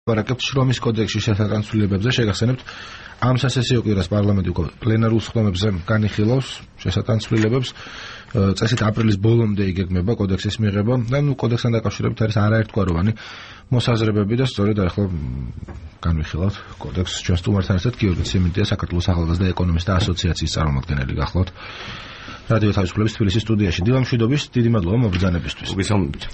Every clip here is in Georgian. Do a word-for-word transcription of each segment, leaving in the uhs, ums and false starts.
ვარაკებთ შრომის კოდექსში შესატანცვლილებებზე შეგახსენებთ ამ სასესიო კვირას პარლამენტი უკვე პლენარულ სხდომებზე განიხილავს შესატანცვლილებებს წესით აპრილის ბოლომდე იგეგმება კოდექსის მიღება და ნუ კოდექსთან დაკავშირებით არის არაერთგვაროვანი მოსაზრებები და სწორედ ახლა განვიხილავთ კოდექსს ჩვენ სტუმართან ერთად გიორგი ციმენტია საქართველოს ახალგაზრდა ეკონომისტთა ასოციაციის წარმომადგენელი გახლავთ რადიო თავისუფლების თბილისის სტუდიაში დილა მშვიდობის დიდი მადლობა მობრძანებისთვის. მოგესალმებით.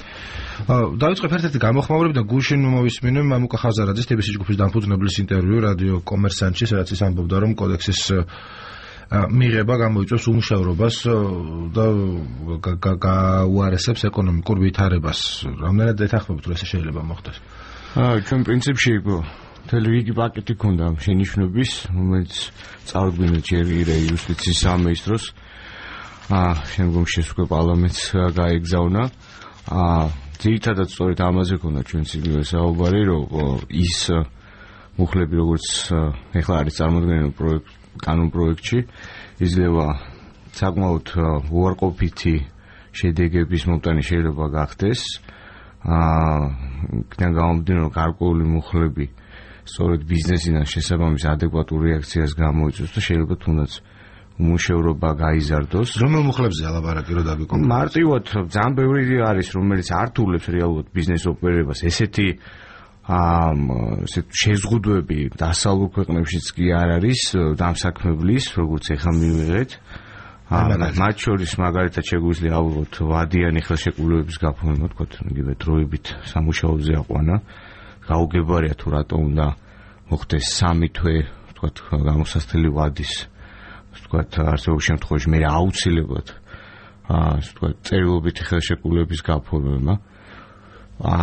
დავიწყებ ერთ-ერთი გამოხმაურები და გუშინ მოვისმინე მამუკა ხაზარაძის თბილისის ჯგუფის დამფუძნებლის ინტერვიუ რადიო კომერსანტში, სადაც ის ამბობდა, რომ კოდექსის მიღება გამოიწვევს უმუშევრობას და გაუარესებს ეკონომიკურ ვითარებას. რამდენად ეთანხმებით, რომ ესე შეიძლება მოხდეს? აა, ჩვენ პრინციპში მთელი რიგი პაკეტი ქონდა შენიშვნების, რომელიც წარუდგინეთ ჯერ იუსტიციის სამინისტროს აა შემდგომში უკვე პარლამენტს გაეგზავნა. აა ძირითადად სწორედ ამაზე ქონდა ჩვენს იგივე საუბარი, რომ ის მუხლები როგორც ეხლა არის წარმოქმნილი პროექტ კანონ პროექტში იძლევა საკმაოდ უარყოფითი შედეგების მომტანი შეიძლება გახდეს. აა იქიდან გამომდინარე, რომ გარკვეული მუხლები სწორედ ბიზნესიდან შესაბამის ადეკვატურ რეაქციას გამოიწვევს და შეიძლება თუნდაც უმუშევრობა გაიზარდოს. რომელ მუხლებზე ალაბარაკი რო დაგიკონტროლოს? მარტივად ძალიან ბევრი არის, რომელიც ართულებს რეალურად ბიზნეს ოპერებას. ესეთი აა ესეთ შეზღუდვები დასავლურ ქვეყნებშიც კი არ არის დამსაქმებლის, როგორც ეხლა მივიღეთ. მათ შორის მაგალითად შეგვიძლია ავიღოთ ვადიანი ხელშეკრულებების გაფორმება, თქო, იგივე დროებით სამუშაოზე აყვანა. გაუგებარია თუ რატომ უნდა მოხდეს სამი თვე, თქო, გამოსასწრელი ვადის ვთქვათ, არსებულ შემთხვევაში მე აუცილებლად აა ასე ვთქვათ, წერილობითი ხელშეკრულების გაფორმება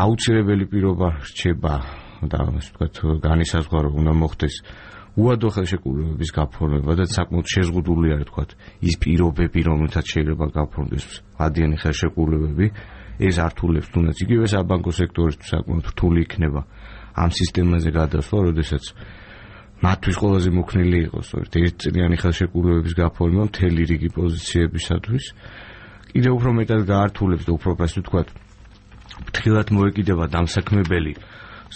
აუცილებელი პირობა რჩება და ასე ვთქვათ, განისაზღვრა უნდა მოხდეს უადო ხელშეკრულების გაფორმება და საკმაოდ შეზღუდული არის ვთქვათ, ის პირობები, რომელთაც შეიძლება გაფორმდეს ვადიანი ხელშეკრულებები, ეს ართულებს თუნდაც იგივე საბანკო სექტორისთვის საკმაოდ რთული იქნება ამ სისტემაზე გადასვლა, როდესაც მათთვის ყველაზე მოქნილი იყოს ერთწლიანი ხელშეკრულებების გაფორმება მთელი რიგი პოზიციებისათვის. კიდევ უფრო მეტად გაართულებს და უფრო ასე ვთქვათ, ფრთხილად მოეკიდება დამსაქმებელი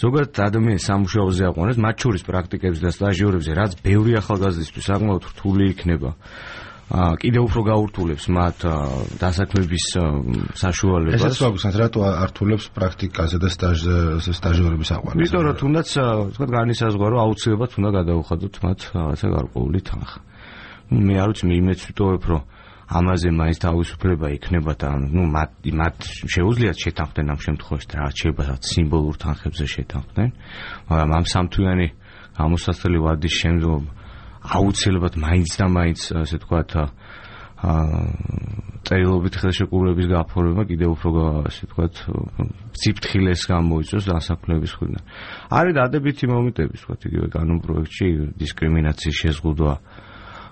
ზოგადად ადამიანის სამუშაოზე აყვანას, მათ შორის პრაქტიკებზე და სტაჟიორებზე, რაც ბევრი ახალგაზრდისთვის საკმაოდ რთული იქნება. კიდევ უფრო გაურთულებს მათ დასაქმების საშუალებას. ესეც ვაგრძელოთ, რატო ართულებს პრაქტიკაზე და სტაჟზე სტაჟიორების აყვანას? იმიტომ რომ თუნდაც ვთქვათ, განისაზღვრა, რომ აუცილებლად უნდა გადაუხადოთ მათ რაღაცა გარკვეული თანხა. მე არ ვიცი, იმეც ვიტოვებ, რომ ამაზე მაინც თავისუფლება იქნება და ნუ მათ მათ შეუძლიათ შეთანხმდნენ ამ შემთხვევაში და რაღაც შეიძლება რაღაც სიმბოლურ თანხებზე შეთანხმდნენ, მაგრამ ამ სამთვიანი გამოსასწრელი ვადის შემდგომ აუცილებლად მაინც და მაინც ასე ვთქვათ აა წერილობით ხელშეკრულების გაფორმება კიდევ უფრო ასე ვთქვათ სიფრთხილეს გამოიწვევს დასაქმების მხრიდან. არის დადებითი მომენტები, ვთქვათ, იგივე კანონ პროექტში დისკრიმინაციის შეზღუდვა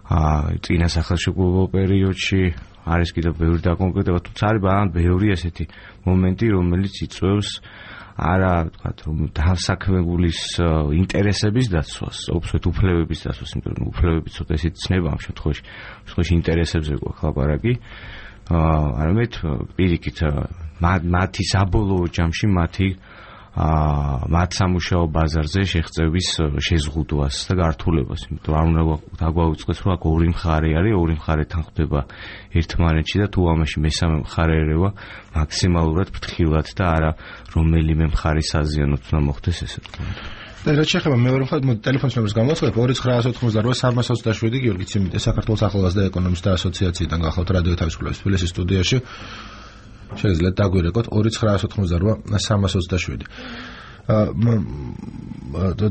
აა წინა სახელმწიფო პერიოდში არის კიდევ ბევრი დაკონკრეტება, თუმცა არის ბანან ბევრი ესეთი მომენტი, რომელიც იწვევს არა ვთქვათ, რომ დასაქმებულის ინტერესების დაცვას, ოფსვეთ უფლებების დაცვას, იმიტომ რომ უფლებები ცოტა ისეთი ცნება ამ შემთხვევაში, შემთხვევაში ინტერესებზე გვაქვს ლაპარაკი. აა არამედ პირიქით მათი საბოლოო ჯამში მათი აა მათ სამუშაო ბაზარზე შეღწევის შეზღუდვას და გართულებას, იმიტომ რომ არ უნდა დაგვაუწყდეს, რომ აქ ორი მხარე არის, ორი მხარე თანხმდება ერთმანეთში და თუ ამაში მესამე მხარე ერევა მაქსიმალურად ფრთხილად და არა რომელიმე მხარის აზიანოთ უნდა მოხდეს ესე თქვა. და რაც შეეხება მეორე მხარეს, მოდი ტელეფონის ნომერს გამოვაცხადებ ორი ცხრა ოთხმოცდაოთხი სამას ოცდაშვიდი გიორგი ციმენტია საქართველოს ახალგაზრდა ეკონომისტთა ასოციაციიდან გახლავთ რადიო თავისუფლების თბილისის სტუდიაში. შეიძლება დაგვირეკოთ ორი ცხრა ოთხმოცდაოთხი სამას ოცდაშვიდი.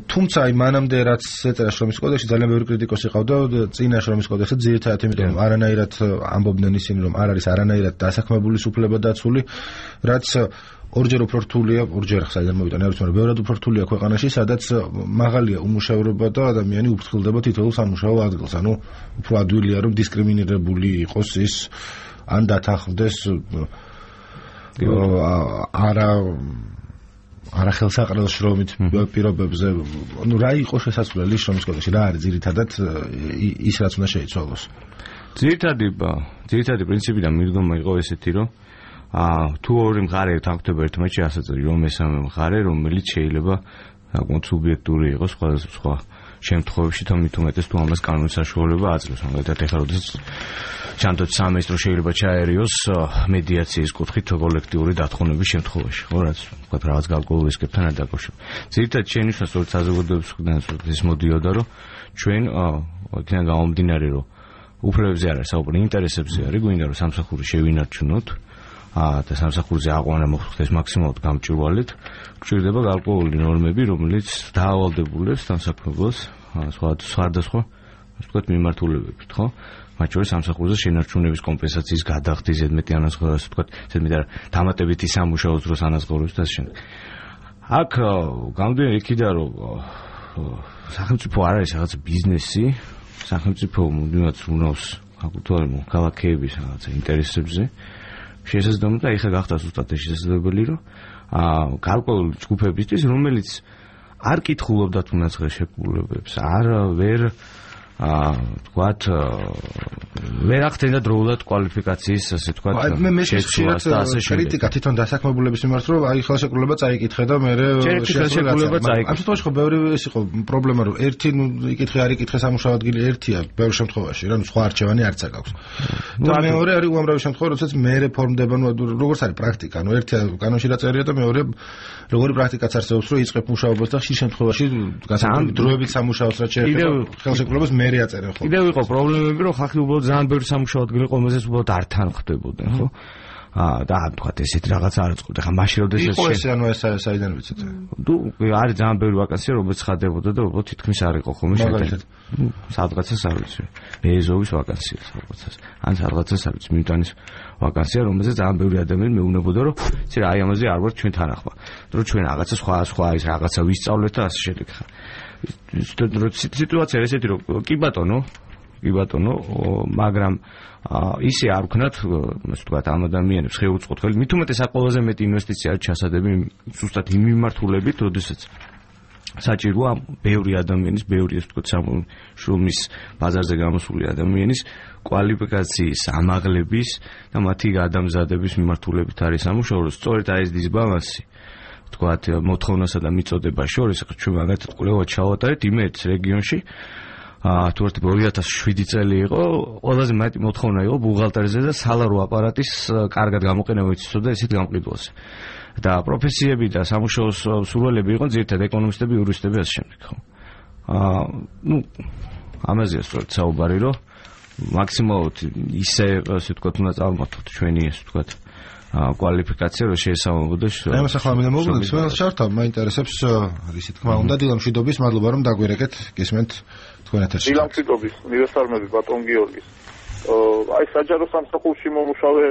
თუმცა აი მანამდე რაც ეწერა შრომის კოდექსში ძალიან ბევრი კრიტიკოსი ყავდა წინა შრომის კოდექსზე, ძირითადად იმიტომ რომ არანაირად ამბობდნენ ისინი, რომ არ არის არანაირად დასაქმებულის უფლება დაცული, რაც ორჯერ უფრო რთულია, ორჯერ საიდან მოვიტანე, არ ვიცი, მაგრამ ბევრად უფრო რთულია ქვეყანაში, სადაც მაღალია უმუშევრობა და ადამიანი უფრთხილდება თითოეულ სამუშაო ადგილს. ანუ უფრო ადვილია, რომ დისკრიმინირებული იყოს ის ან დათანხმდეს არა არა ხელსაყრელ შრომით პირობებზე. ნუ რა იყო შესაძლებელი შრომის კოდექსში, რა არის ძირითადად ის რაც უნდა შეიცვალოს? ძირითადი ძირითადი პრინციპიდან მიდგომა იყო ესეთი, რომ აა თუ ორი მხარე თანხმდება ერთმანეთში, ასე წელი რომ მესამე მხარე, რომელიც შეიძლება საკმაოდ სუბიექტური იყოს სხვა სხვა შემთხვევებში თუმცა მით უმეტეს თუ ამას კანონის საშუალება აძლევს. მაგალითად ეხლა როდესაც ჩანდოთ სამინისტრო შეიძლება ჩაერიოს მედიაციის კუთხით კოლექტიური დათხოვნების შემთხვევაში. ხო რაც ვთქვათ რაღაც გარკვეულ რისკებთან არ დაკავშირებით. ძირითადად შენიშნა სწორედ საზოგადოებისგან ეს მოდიოდა რომ ჩვენ იქიდან გამომდინარე რომ უფლებებზე არ არის საუბარი, ინტერესებზე არის, გვინდა რომ სამსახური შევინარჩუნოთ და სამსახურზე აყვანა მოხდეს მაქსიმალურად გამჭვირვალედ, გვჭირდება გარკვეული ნორმები, რომელიც დაავალდებულებს სამსახურს სხვადასხვა ვთქვათ მიმართულებებით, ხო? მათ შორის სამსახურზე შენარჩუნების კომპენსაციის გადახდის ზედმეტი ანაზღაურებას, ვთქვათ, ზედმეტი არა, დამატებითი სამუშაოს დროს ანაზღაურებას და ასე შემდეგ. აქ გამომდინარე იქიდან რომ სახელმწიფო არ არის რაღაც ბიზნესი, სახელმწიფო მუდმივად უნავს აკუთვნილ ქალაქების რაღაცა ინტერესებზე. შესაძლოა და ეხლა გახდა ზუსტად შესაძლებელი რომ აა გარკვეული ჯგუფებისთვის რომელიც არ კითხულობდათ უნას ღირსშესანიშნაობებს არ ვერ აა თქვათ ვერ ახდენდა დროულად კვალიფიკაციის ასე თქვათ შეცვლას და ასე შემდეგ. კრიტიკა თვითონ დასაქმებულების მიმართ რომ აი ხელშეკრულება წაიკითხე და მე ხელშეკრულება წაიკითხე. ამ შემთხვევაში ხო ბევრი ის იყო პრობლემა რომ ერთი იკითხე არ იკითხე სამუშაო ადგილი ერთია ბევრ შემთხვევაში რა სხვა არჩევანი არც აქვს. და მეორე არის უამრავი შემთხვევა როდესაც მე რეფორმდება ნუ როგორც არის პრაქტიკა ნუ ერთია კანონში რა წერია და მეორე როგორი პრაქტიკაც არსებობს რომ იწყებ მუშაობას და ხშირ შემთხვევაში გასაგები დროებით სამუშაოს რაც შეეხება ხელშეკრულებას მე რეაწერენ ხო. კიდევ იყო პრობლემები რომ ხალხი უბრალოდ ძალიან ბევრი სამუშაო ადგილი ყომაზეც უბრალოდ არ თანხმდებოდნენ ხო. აა და თქვათ ესეთი რაღაცა არ წყვეტ. ხა მაშინ როდესაც იყო ეს ანუ ეს საიდან ვიცით? თუ არის ძალიან ბევრი ვაკანსია რომელიც ხდებოდა და უბრალოდ თითქმის არ იყო ხოლმე შეტანილი. ნუ სადღაცას არ ვიცი. ეზოვის ვაკანსია სადღაცას. ან სადღაცას არ ვიცი მიუტანის ვაკანსია რომელზეც ძალიან ბევრი ადამიანი მეუბნებოდა რომ ცი რა აი ამაზე არ ვარ ჩვენ თან ახლა. რომ ჩვენ რაღაცა სხვა სხვა ის რაღაცა ვისწავლეთ და ასე შემდეგ. სიტუაცია ესეთი რომ კი ბატონო კი ბატონო მაგრამ ისე არ ვქნათ ასე ვთქვათ ამ ადამიანებს ხეუწყოთხელი მით უმეტეს ყველაზე მეტი ინვესტიცია არის ჩასადები ზუსტად იმ მიმართულებით როდესაც საჭიროა ბევრი ადამიანის ბევრი ასე ვთქვათ შრომის ბაზარზე გამოსული ადამიანის კვალიფიკაციის ამაღლების და მათი გადამზადების მიმართულებით არის სამუშაო რომ სწორედ აი ეს დისბალანსი თქვათ მოთხოვნასა და მიწოდებას შორის ჩვენ მაგათაც კვლევა ჩავატარეთ იმერეთის რეგიონში აა თუ ერთი ორი ათას შვიდი წელი იყო ყველაზე მეტი მოთხოვნა იყო ბუღალტერიზე და სალარო აპარატის კარგად გამოყენება იცოდა ესეთ გამყიდველზე და პროფესიები და სამუშაოს სურვილები იყო ძირითადად ეკონომისტები, იურისტები ასე შემდეგ ხო აა ნუ ამაზეა სწორედ საუბარი რომ მაქსიმალურად ისე ასე ვთქვათ უნდა წარმართოთ ჩვენი ასე ვთქვათ კვალიფიკაცია რომ შეესაბამებოდეს. აი მას ახლა მინდა მოვუგებ, სულ შართავ, მაინტერესებს რისი თქმა უნდა დილამშვიდობის, მადლობა რომ დაგვირეკეთ, გესმენთ თქვენ ეთერში. დილამშვიდობის, მივესალმები ბატონ გიორგის. აი საჯარო სამსახურში მომუშავე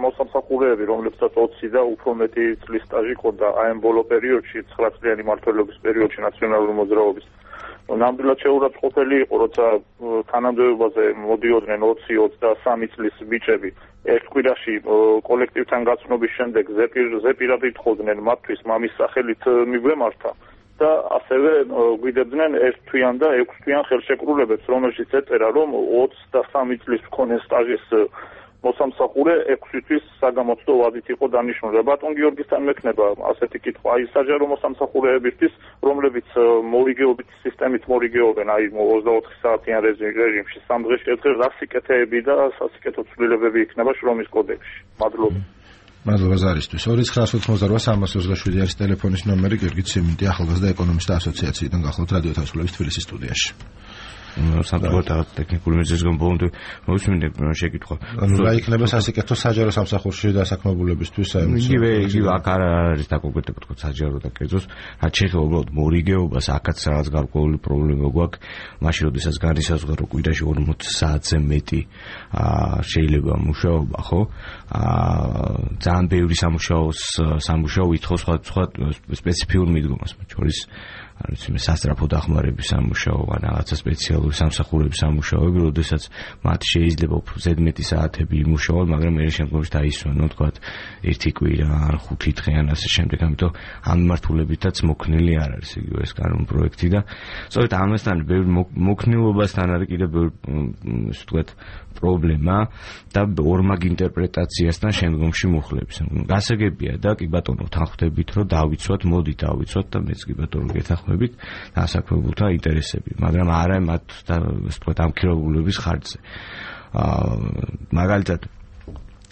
მოსამსახურეები, რომლებსაც ოცი და უფრო მეტი წლის სტაჟი ჰქონდა აი ამ ბოლო პერიოდში, ცხრა წლიანი მმართველობის პერიოდში ნაციონალური მოძრაობის. ნამდვილად შეურაცხყოფელი იყო, როცა თანამდებობაზე მოდიოდნენ ოცი ოცდასამი წლის ბიჭები. ერთ კვირაში კოლექტივთან გაცნობის შემდეგ ზეპირად ითხოვდნენ მათთვის მამის სახელით მიგვემართა და ასევე გვიდებდნენ ერთთვიან და ექვსთვიან ხელშეკრულებებს, რომელშიც ეწერა, რომ ოცდასამი წლის მქონე სტაჟის მოსამსახურე ექვსი თვის საგამოცდო ვადით იყო დანიშნული. ბატონ გიორგისთან მექნება ასეთი კითხვა, აი საჯარო მოსამსახურეებისთვის, რომლებიც მორიგეობით სისტემით მორიგეობენ, აი ოცდაოთხი საათიან რეჟიმში, სამ დღეში ერთხელ რა სიკეთეები და სასიკეთო ცვლილებები იქნება შრომის კოდექსში. მადლობა. მადლობა ზარისთვის. ორი ცხრა ოცდაოთხი სამას ოცდაშვიდი არის ტელეფონის ნომერი, გიორგი ცემენტი, ახალგაზრდა ეკონომისტთა ასოციაციიდან გახლავთ რადიო თავისუფლების თბილისის სტუდიაში. სამწუხაროდ ტექნიკური მიზეზის გამო ბოლომდე მოусმინე შეკითხვა. ანუ რა იქნება სასიკეთო საჯარო სამსახურში დასაქმებულებისთვის? იგივე იგივე აქ არ არის დაკონკრეტებული თქო საჯარო და კერძოს, რაც შეეხება უბრალოდ მორიგეობას, აქაც რაღაც გარკვეული პრობლემა გვაქვს. მაშინ როდესაც განისაზღვრა რომ კვირაში ორმოცი საათზე მეტი შეიძლება მუშაობა, ხო? ძალიან ბევრი სამუშაოს სამუშაო ითხოვს სხვა სპეციფიურ მიდგომას, მათ შორის არ ვიცი, სასწრაფო დახმარების სამუშაო ან რაღაცა სპეციალური სამსახურების სამუშაოები, როდესაც მათ შეიძლება უფრო ზედმეტი საათები იმუშაონ, მაგრამ მე შემდგომში დაისვენონ, თქვათ, ერთი კვირა ან ხუთი დღე ან ასე შემდეგ, ამიტომ ამ მიმართულებითაც მოქნილი არ არის იგივე ეს კანონპროექტი და სწორედ ამასთან ბევრ მოქნილობასთან არის კიდევ ბევრ ისე ვთქვათ პრობლემა და ორმაგ ინტერპრეტაციასთან შემდგომში მუხლებს. გასაგებია და კი ბატონო თანხმდებით, რომ დავიცვათ, მოდით დავიცვათ და მეც კი ბატონო გეთანხმებით დასაქმებულთა ინტერესები, მაგრამ არა მათ და ისე ვთქვათ ამ ქირურგულების ხარჯზე. აა მაგალითად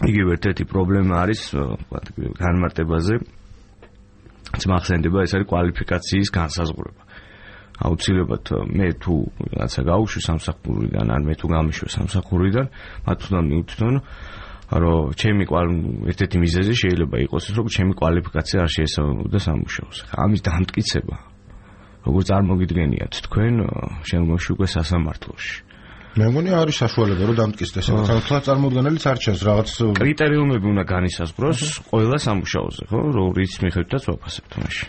იგივე ერთ-ერთი პრობლემა არის ვთქვათ განმარტებაზე მახსენდება ეს არის კვალიფიკაციის განსაზღვრება. აუცილებლად მე თუ რაღაცა გავუშვი სამსახურიდან ან მე თუ გამიშვი სამსახურიდან მათ უნდა მივთვითონ რომ ჩემი ერთ-ერთი მიზეზი შეიძლება იყოს ის რომ ჩემი კვალიფიკაცია არ შეესაბამებოდა სამუშაოს. ამის დამტკიცება როგორც წარმოგიდგენიათ თქვენ შემდგომში უკვე სასამართლოში. მე მგონი არის საშუალება რომ დამტკიცდეს ეს თვალ წარმოუდგენელიც არჩევს რაღაც კრიტერიუმები უნდა განისაზღვროს ყველა სამუშაოზე, ხო? რის მიხედვითაც ვაფასებთ მაშინ.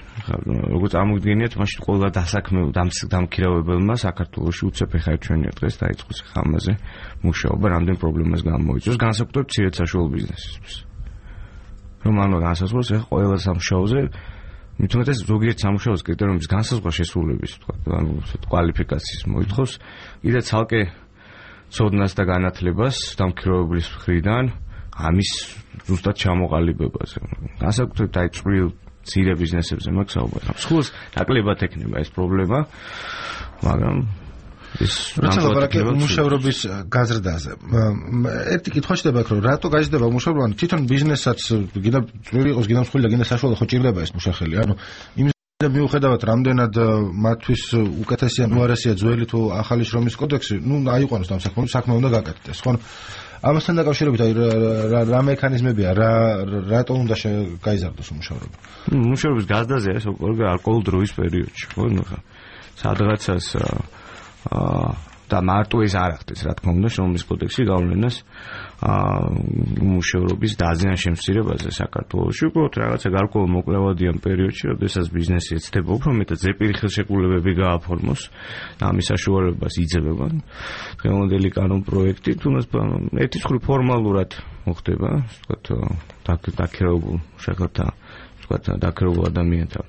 როგორც წარმოგიდგენიათ, მაშინ ყველა დასაქმებულ დამქირავებელმა საქართველოში უცებ ეხა ჩვენი დღეს დაიწყოს ხამაზე მუშაობა, რამდენ პრობლემას გამოიწვევს, განსაკუთრებით მცირედ საშუალო ბიზნესისთვის. რომ ანუ განსაზღვროს ეხა ყველა სამუშაოზე მithumetes ზოგიერთ სამუშაოს კრიტერიუმის განსაზღვრა შესრულების, თქვა, ანუ კვალიფიკაციის მოითხოვს, კიდე ცალკე ცოდნას და განათლებას დამქირავებლის მხრიდან ამის ზუსტად ჩამოყალიბებაზე. განსაკუთრებით აი წვრილ მცირე ბიზნესებზე მაქვს საუბარი. მსხვილს ნაკლებად ექნება ეს პრობლემა, მაგრამ ეს როცა ლაპარაკი მუშავრობის გაზრდაზე. ერთი კითხვა შედება აქ რომ რატო გაიზრდება მუშავრობა? თვითონ ბიზნესაც გინდა წვრილი იყოს, გინდა მსხვილი და გინდა საშუალო ხო ჭირდება ეს მუშახელი. ანუ იმ და მიუხედავად რამდენად მათთვის უკეთესია უარესია ძველი თუ ახალი შრომის კოდექსი, ნუ აიყვანოს ამ საქმე, საქმე უნდა გაკეთდეს, ხო? ამასთან დაკავშირებით აი რა მექანიზმებია, რა რატო უნდა გაიზარდოს მუშავრობა? მუშავრობის გაზრდაზე ეს ალკოჰოლ დროის პერიოდში, ხო? სადღაცას აა და მარტო ეს არ ახდენს, რა თქმა უნდა, შრომის კოდექსი გავლენას აა მუშავრობის დაზიანების შემცირებაზე საქართველოში, უბრალოდ რაღაცა გარკვეულ მოკლევადიან პერიოდში, როდესაც ბიზნესი ეცდება უფრო მეტად ზეპირი ხელშეკრულებები გააფორმოს, ამის საშუალებას იძებება. დღევანდელი კანონპროექტი თუნდაც ერთის მხრივ ფორმალურად მოხდება, ვთქვათ, დაქირავებულ შეხედა, ვთქვათ, დაქირავებულ ადამიანთა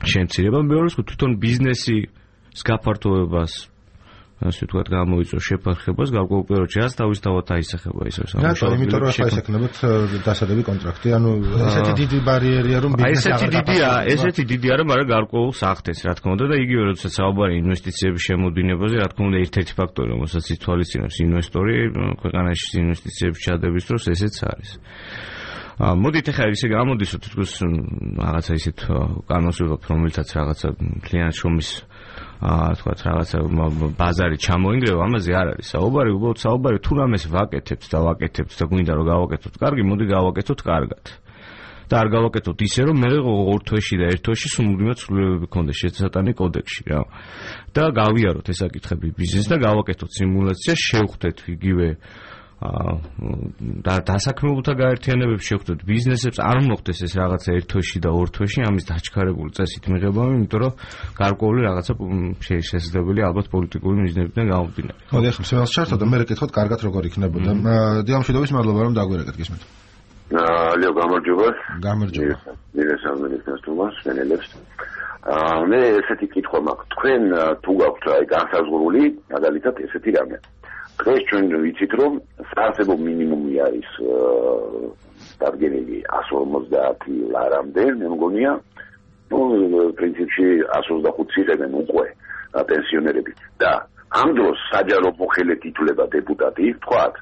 შემცირება, მეორე მხრივ თვითონ ბიზნესის გაფართოებას ასე ვთქვათ გამოიწვევს შეფარხებას გარკვეულ პერიოდში რაც თავისთავად აისახება ისე სამუშაო. იმიტომ რომ ახლა ისექნებათ დასადები კონტრაქტი, ანუ ესეთი დიდი ბარიერია რომ ბიზნესი აღარ დიდია, ესეთი დიდია რომ არა გარკვეულს ახდენს, რა თქმა უნდა და იგივე როდესაც საუბარი ინვესტიციების შემოდინებაზე, რა თქმა უნდა ერთ-ერთი ფაქტორი, რომელსაც ითვალისწინებს ინვესტორი ქვეყანაში ინვესტიციების ჩადების დროს ესეც არის. მოდით ახლა ისე გამოდის რომ თითქოს რაღაცა ისეთ კანონს ვიღებ, რომელთაც რაღაცა კლიენტ შრომის აა თქვათ რაღაცა ბაზარი ჩამოინგრევა, ამაზე არ არის საუბარი, უბრალოდ საუბარი თუ რამეს ვაკეთებთ და ვაკეთებთ და გვინდა რომ გავაკეთოთ კარგი, მოდი გავაკეთოთ კარგად. და არ გავაკეთოთ ისე რომ მე ორ თვეში და ერთ თვეში სულ ცვლილებები გქონდეს შესატანი კოდექსში რა. და გავიაროთ ეს საკითხები ბიზნესს და გავაკეთოთ სიმულაცია, შევხვდეთ იგივე და დასაქმებულთა გაერთიანებებს შევხვდეთ ბიზნესებს, არ მოხდეს ეს რაღაცა ერთ თვეში და ორ თვეში ამის დაჩქარებული წესით მიღებაა, იმიტომ რომ გარკვეული რაღაცა შესაძლებელი ალბათ პოლიტიკური მიზნებიდან გამომდინარე. მოდი ახლა მსმენელს ჩართო და მე რეკითხოთ კარგად როგორ იქნებოდა. დიამშვიდობის მადლობა რომ დაგვირეკეთ გისმენთ. ალო გამარჯობა. გამარჯობა. მირესალმენის ნასტუმას მენელებს. აა მე ესეთი კითხვა მაქვს. თქვენ თუ გაქვთ აი განსაზღვრული, მაგალითად ესეთი რამე. დღეს ჩვენ ვიცით რომ საარსებო მინიმუმი არის დადგენილი εκατს ორმოცდაათი ლარამდე, მე მგონია, ну, პრინციპში εκατს ოცდახუთი იღებენ უკვე პენსიონერები და ამ დროს საჯარო მოხელეთ ითვლება დეპუტატი, თქვათ,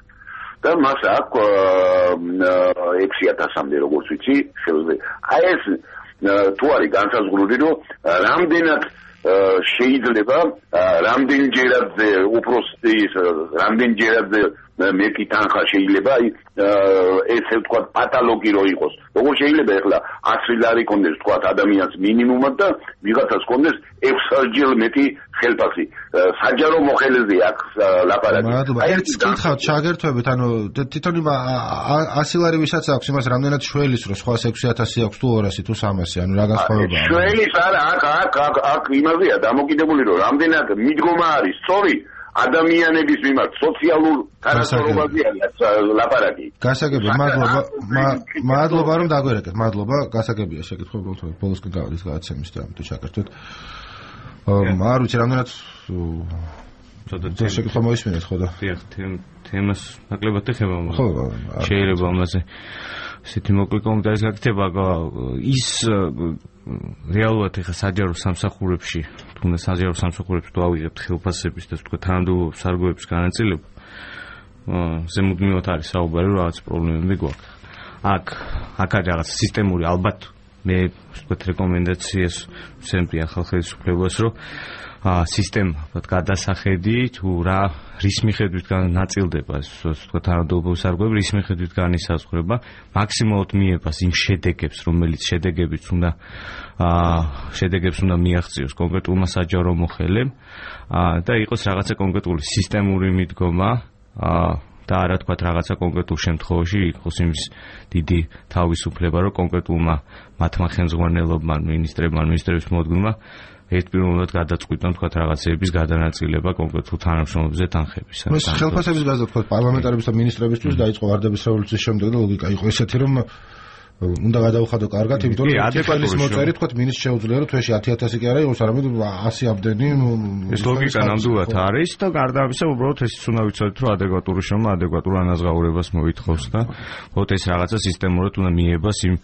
და მას აქვს ექვსი ათასამდე, როგორც ვიცი, შეუძლია. აი ეს თუ არის განსაზღვრული, რომ რამდენად შეიძლება რამდენჯერადზე უფროსი რამდენჯერადზე მეტი თანხა შეიძლება აი ესე ვთქვათ პათოლოგი რო იყოს. როგორ შეიძლება ახლა ათი ლარი კონდეს თქვა ადამიანს მინიმუმად და ვიღაცას კონდეს ექვსჯერ მეტი ხელფასი. საჯარო მოხელეზე აქვს ლაპარაკი. მადლობა. ერთ კითხავთ ჩაგერთვებით, ანუ თვითონ იმ ასი ლარი ვისაც აქვს, იმას რამდენად შველის რო სხვას ექვსი ათასი აქვს თუ ორასი თუ სამასი, ანუ რა განსხვავებაა? შველის არა, აქ აქ აქ აქ იმაზეა დამოკიდებული რომ რამდენად მიდგომა არის სწორი ადამიანების მიმართ სოციალურ თანასწორობაზეა ლაპარაკი. გასაგებია, მადლობა, მადლობა რომ დაგვერეკეთ, მადლობა, გასაგებია შეკითხვა ბოლოსკენ გავადის გადაცემის და ამიტომ ჩაკერთვით. არ ვიცი, რამდენად ცოტა შეკითხვა მოისმინეთ ხო და? დიახ, თემას ნაკლებად ეხება, შეიძლება ამაზე ისეთი მოკლე კომენტარის გაკეთება, ის რეალურად ეხა საჯარო სამსახურებში, თუნდაც საჯარო სამსახურებში თუ ავიღებთ ხელფასების და თქვა თანამდებობის სარგოების განაწილება, ზემოდმივად არის საუბარი, რომ რაღაც პრობლემები გვაქვს. აქ აქ არის რაღაც სისტემური, ალბათ მე თქვა რეკომენდაციას ვცემდი ახალ ხელისუფლებას, რომ სისტემა გადასახედი თუ რა რის მიხედვით ნაწილდება თქვა თანამდებობის სარგოები, რის მიხედვით განისაზღვრება, მაქსიმალურად მიებას იმ შედეგებს, რომელიც შედეგებიც უნდა შედეგებს უნდა მიაღწიოს კონკრეტულმა საჯარო მოხელემ და იყოს რაღაცა კონკრეტული სისტემური მიდგომა და არა თქვა რაღაცა კონკრეტულ შემთხვევაში იყოს იმის დიდი თავისუფლება, რომ კონკრეტულმა მათმა ხელმძღვანელობმა, მინისტრებმა, მინისტრების მოადგილეებმა ერთპიროვნულად გადაწყვიტონ თქვა რაღაცეების გადანაწილება კონკრეტულ თანამშრომლებზე თანხების. ეს ხელფასების გაზრდა თქვა პარლამენტარების და მინისტრებისთვის დაიწყო ვარდების რევოლუციის შემდეგ და ლოგიკა იყო ესეთი, რომ უნდა გადავხადო კარგად, იმიტომ რომ ადეკვატის მოწერი თქვა მინისტრს შეუძლია რომ თვეში ათი ათასი კი არა იყოს, არამედ ასი ამდენი. ეს ლოგიკა ნამდვილად არის და გარდა ამისა, უბრალოდ ესეც უნდა ვიცოდეთ, რომ ადეკვატური შრომა ადეკვატურ ანაზღაურებას მოითხოვს და უბრალოდ ეს რაღაცა სისტემურად უნდა მიებას იმ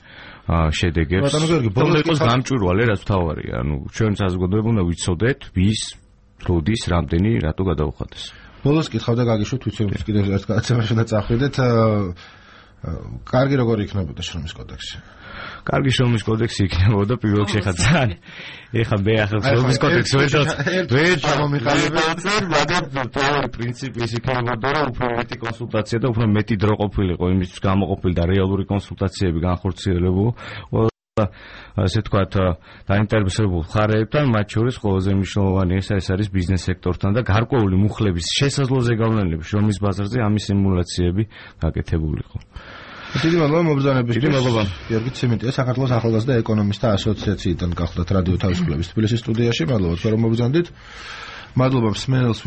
შედეგებს. ბოლოს იყოს გამჭვირვალე, რაც თავარია. ანუ ჩვენ საზოგადოება უნდა ვიცოდეთ, ვის როდის, რამდენი, რატო გადაუხადეს. ბოლოს კითხავდა გაგიშვით, ვიცი რომ კიდევ ერთ გადაცემაში უნდა წახვიდეთ. კარგი როგორ იქნებოდა შრომის კოდექსი? კარგი შრომის კოდექსი იქნებოდა პირველ რიგში ხა ძალიან. ეხა მე ახლა შრომის კოდექსი ვერ ვერ ჩამომიყალიბე, მაგრამ თავი პრინციპი ის იქნებოდა, რომ უფრო მეტი კონსულტაცია და უფრო მეტი დრო ყოფილიყო იმისთვის გამოყოფილი და რეალური კონსულტაციები განხორციელებულ. ასე თქვათ დაინტერესებულ მხარეებთან, მათ შორის ყველაზე მნიშვნელოვანი ეს არის ბიზნეს სექტორთან და გარკვეული მუხლების შესაძლოზე გავლენები შრომის ბაზარზე ამის სიმულაციები გაკეთებულიყო. დიდი მადლობა მობრძანებისთვის. დიდი მადლობა. გიორგი ციმენტია, საქართველოს ახალგაზრდა ეკონომისტთა ასოციაციიდან გახლდათ რადიო თავისუფლების თბილისის სტუდიაში. მადლობა, რომ მობრძანდით. მადლობა მსმენელს.